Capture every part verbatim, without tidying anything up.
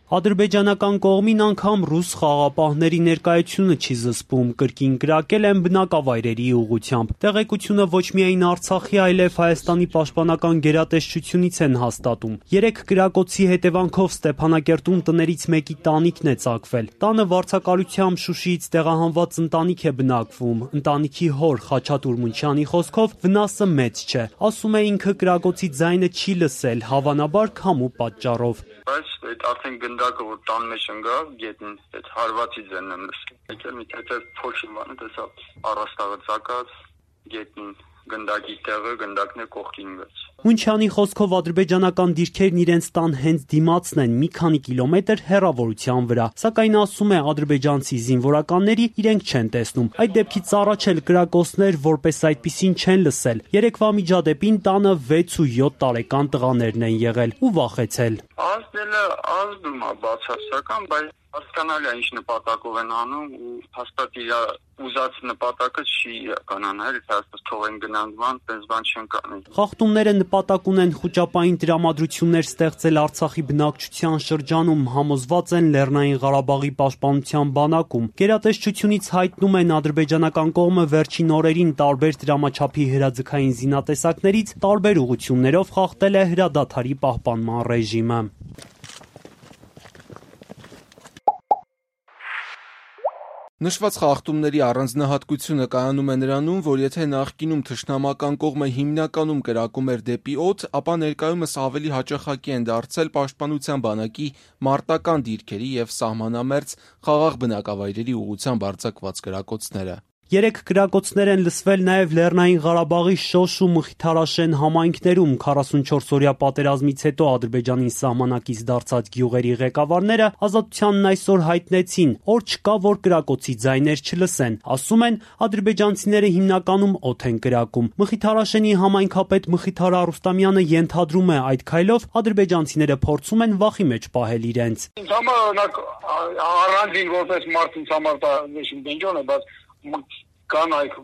Ադրբեջանական կողմին անգամ ռուս խաղաղապահների ներկայությունը չի զսպում, կրկին կրակել են բնակավայրերի ուղղությամբ։ Տեղեկությունը ոչ միայն Արցախի, այլև Հայաստանի պաշտպանական գերատեսչությունից են հաստատում։ Երեք կրակոցի հետևանքով Ստեփանակերտում տներից մեկի տանիքն է ծակվել։ Տանը վարձակալությամբ Շուշիից տեղահանված ընտանիք է բնակվում։ Ընտանիքի հոր Խաչատուր Մունչյանի խոսքով վնասը մեծ չէ։ Ասում է ինքը կրակոցի ձայնը չի լսել, հավանաբար քամու պատճառով։ Բայց այդ արդեն գնդակը որ տան մեջ ընկավ, գետնին այդ հարվածի ձայնն եմ լսել։ Եկել մի թեթև փոշի բանը տեսա առաստաղը ծակած գետնին գնդակի տեղը գնդակն է կողքին գած։ Մունչյանի խոսքով ադրբեջանական դիրքերն իրենց տան հենց դիմացն են մի քանի կիլոմետր հեռավորության վրա, սակայն ասում է ադրբեջանցի զինվորականների իրենք չեն տեսնում։ Այդ դեպքից առաջ էլ կրակոցներ որպես այդպիսին չեն լսել։ Երեկվա միջադեպին տանը վեց ու յոթ տարեկան տղաներն են եղել ու վախեցել։ Ազդելը ազդում է բացասական, բայց հասկանալի է ինչ նպատակով են անում ու հաստատ իր ուզած նպատակը չի իրականանալ, հաստատ թողեն գնանցման, տես բան չեն կանի։ Խախտումները նպատակ ունեն խոճապային տրամադրություններ ստեղծել Արցախի բնակչության շրջանում, համոզված են Լեռնային Ղարաբաղի պաշտպանության բանակում։ Գերատեսչությունից հայտնում են ադրբեջանական կողմը վերջին օրերին տարբեր դրամաչափի հրաձգային զինատեսակներից տարբեր ուղղություններով խախտել է հրադադարի պահպանման ռեժիմը։ Նշված խախտումների առանձնահատկությունը կայանում է նրանում, որ եթե նախկինում թշնամական կողմը հիմնականում կրակում էր դեպի օդ, ապա ներկայումս ավելի հաճախակի են դարձել պաշտպանության բանակի մարտական դիրքերի և սահմանամերձ խաղաղ բնակավայրերի ուղղությամբ արձակված կրակոցները։ Երեք կրակոցներ են լսվել նաև Լեռնային Ղարաբաղի Շոշ ու Մխիթարաշեն համայնքներում։ քառասունչորսօրյա պատերազմից հետո Ադրբեջանին սահմանակից դարձած գյուղերի ղեկավարները Ազատությանն այսօր հայտնեցին, օր չկա, որ կրակոցի ձայներ չլսեն։ Ասում են, ադրբեջանցիները հիմնականում օդ են կրակում։ Մխիթարաշենի համայնքապետ Մխիթար Արուստամյանը ենթադրում է, այդ քայլով ադրբեջանցիները փորձում են վախի մեջ պահել իրենց։ Ինձ համար օրինակ առանձին որպես մարդ ինձ համար դա դենջոն է, բայց կան այք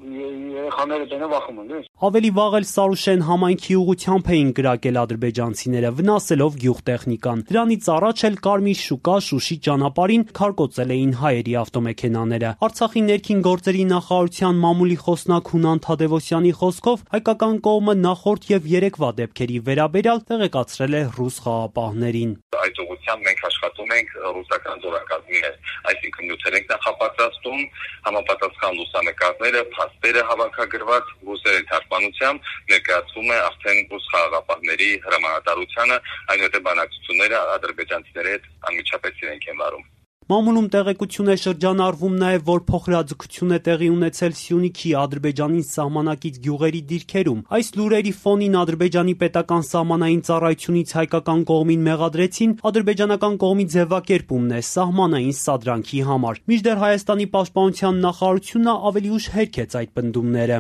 երեխաները տենը վախում են։ Ավելի վաղ էլ Սարուշեն համայնքի ուղղությամբ էին կրակել ադրբեջանցիները, վնասելով գյուղտեխնիկան։ Դրանից առաջ էլ Կարմիր շուկա Շուշի ճանապարհին քարկոծել էին հայերի ավտոմեքենաները։ Արցախի ներքին գործերի նախարարության մամուլի խոսնակ Հունան Թադևոսյանի խոսքով հայկական կողմը նախորդ եւ երեկվա դեպքերի վերաբերյալ տեղեկացրել է ռուս խաղաղապահներին։ Այդ ուղղությամբ մենք աշխատում ենք ռուսական զորակազմի հետ, այսինքն նյութեր ենք նախապատրաստում, համապատասխան լուսանկարները, փաստերը հավաքագրված ռուսերի թարգմանությամբ ներկայացվում է արդեն ռուս խաղաղապահների հրամանատարությանը, այնուհետև բանակցությունները ադրբեջանցիների հետ անմիջապես իրենք են վարում։ Մամուլում տեղեկություն է շրջանառվում նաև, որ փոխհրաձգություն է տեղի ունեցել Սյունիքի Ադրբեջանին սահմանակից գյուղերի դիրքերում։ Այս լուրերի ֆոնին Ադրբեջանի պետական սահմանային ծառայությունից հայկական կողմին մեղադրեցին ադրբեջանական կողմի ձևակերպումն է սահմանային սադրանքի համար։ Մինչդեռ Հայաստանի պաշտպանության նախարարությունը ավելի ուշ հերքեց այդ պնդումները։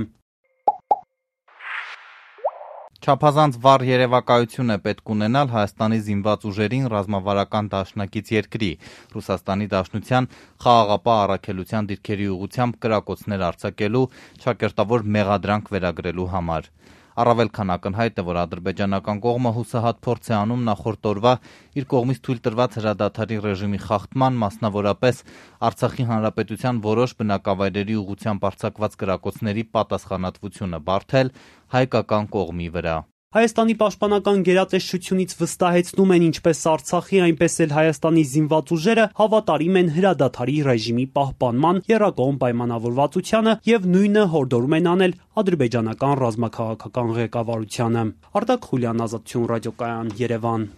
Չափազանց վառ երևակայություն է պետք ունենալ Հայաստանի զինված ուժերին ռազմավարական դաշնակից երկրի, Ռուսաստանի Դաշնության խաղաղապահ առաքելության դիրքերի ուղղությամբ կրակոցներ արձակելու ճակերտավոր մեղադրանք վերագրելու համար։ Առավել քան ակնհայտ է, որ ադրբեջանական կողմը հուսահատ փորձ է անում նախորդ օրվա իր կողմից թույլ տրված հրադադարի ռեժիմի խախտման, մասնավորապես Արցախի հանրապետության որոշ բնակավայրերի ուղղությամբ արձակված կրակոցների պատասխանատվությունը բարթել հայկական կողմի վրա։ Հայաստանի պաշտպանական գերատեսչությունից վստահեցնում են ինչպես Արցախի, այնպես էլ Հայաստանի զինված ուժերը հավատարիմ են հրադադարի ռեժիմի պահպանման եռակողմ պայմանավորվածությանը եւ նույնը հորդորում են անել ադրբեջանական ռազմաքաղաքական ղեկավարությանը։ Արտակ Խուլյան, Ազատություն ռադիոկայան, Երևան։